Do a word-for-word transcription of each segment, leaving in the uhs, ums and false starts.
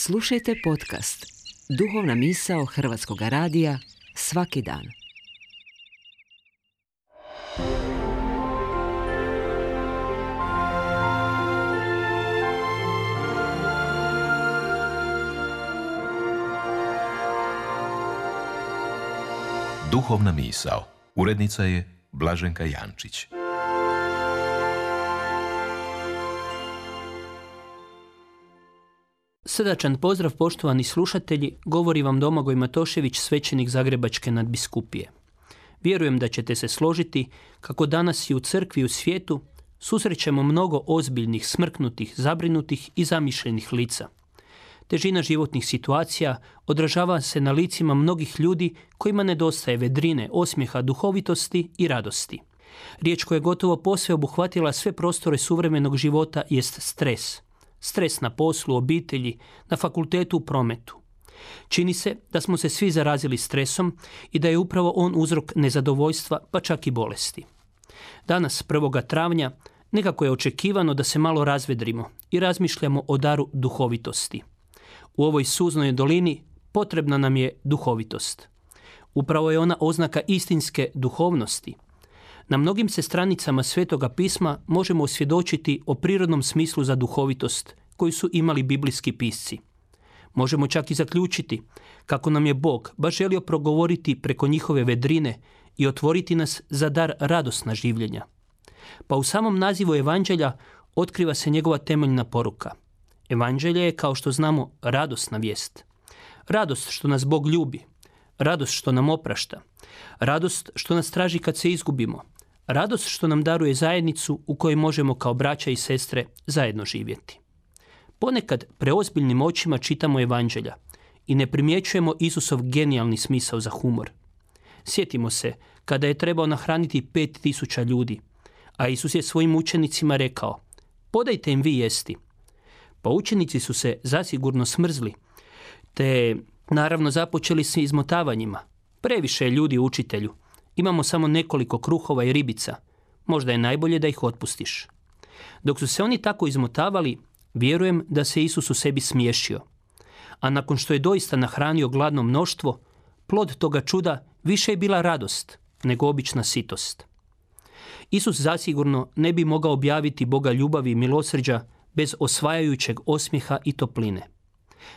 Slušajte podcast Duhovna misao Hrvatskog radija svaki dan. Duhovna misao. Urednica je Blaženka Jančić. Srdačan pozdrav, poštovani slušatelji, govori vam Domagoj Matošević, svećenik Zagrebačke nadbiskupije. Vjerujem da ćete se složiti kako danas i u crkvi i u svijetu susrećemo mnogo ozbiljnih, smrknutih, zabrinutih i zamišljenih lica. Težina životnih situacija odražava se na licima mnogih ljudi kojima nedostaje vedrine, osmijeha, duhovitosti i radosti. Riječ koja je gotovo posve obuhvatila sve prostore suvremenog života jest stres. Stres na poslu, obitelji, na fakultetu, u prometu. Čini se da smo se svi zarazili stresom i da je upravo on uzrok nezadovoljstva, pa čak i bolesti. Danas, prvoga travnja, nekako je očekivano da se malo razvedrimo i razmišljamo o daru duhovitosti. U ovoj suznoj dolini potrebna nam je duhovitost. Upravo je ona oznaka istinske duhovnosti. Na mnogim se stranicama Svetoga pisma možemo osvjedočiti o prirodnom smislu za duhovitost koju su imali biblijski pisci. Možemo čak i zaključiti kako nam je Bog baš želio progovoriti preko njihove vedrine i otvoriti nas za dar radosna življenja. Pa u samom nazivu Evanđelja otkriva se njegova temeljna poruka. Evanđelje je, kao što znamo, radosna vijest. Radost što nas Bog ljubi, radost što nam oprašta, radost što nas traži kad se izgubimo, radost što nam daruje zajednicu u kojoj možemo kao braća i sestre zajedno živjeti. Ponekad preozbiljnim očima čitamo Evanđelja i ne primjećujemo Isusov genijalni smisao za humor. Sjetimo se kada je trebao nahraniti pet tisuća ljudi, a Isus je svojim učenicima rekao: podajte im vi jesti. Pa učenici su se zasigurno smrzli, te naravno započeli s izmotavanjima. Previše je ljudi, učitelju. Imamo samo nekoliko kruhova i ribica. Možda je najbolje da ih otpustiš. Dok su se oni tako izmotavali, vjerujem da se Isus u sebi smiješio. A nakon što je doista nahranio gladno mnoštvo, plod toga čuda više je bila radost nego obična sitost. Isus zasigurno ne bi mogao objaviti Boga ljubavi i milosrđa bez osvajajućeg osmijeha i topline.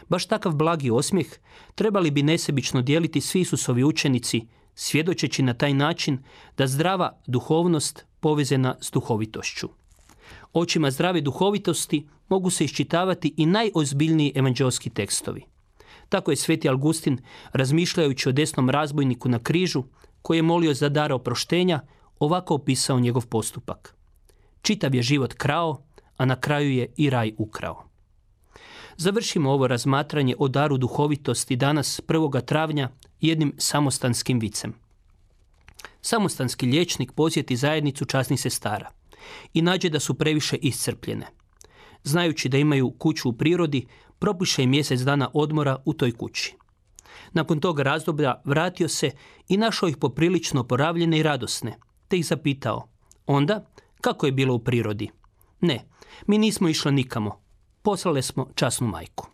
Baš takav blagi osmijeh trebali bi nesebično dijeliti svi Isusovi učenici, svjedočeći na taj način da zdrava duhovnost povezana s duhovitošću. Očima zdrave duhovitosti mogu se iščitavati i najozbiljniji evanđeoski tekstovi. Tako je sveti Augustin, razmišljajući o desnom razbojniku na križu, koji je molio za dar oproštenja, ovako opisao njegov postupak. Čitav je život krao, a na kraju je i raj ukrao. Završimo ovo razmatranje o daru duhovitosti danas, prvoga travnja, jednim samostanskim vicem. Samostanski liječnik posjeti zajednicu časnih sestara i nađe da su previše iscrpljene. Znajući da imaju kuću u prirodi, propiše im mjesec dana odmora u toj kući. Nakon tog razdoblja vratio se i našao ih poprilično oporavljene i radosne, te ih zapitao: onda, kako je bilo u prirodi? Ne, mi nismo išli nikamo. Poslali smo časnu majku.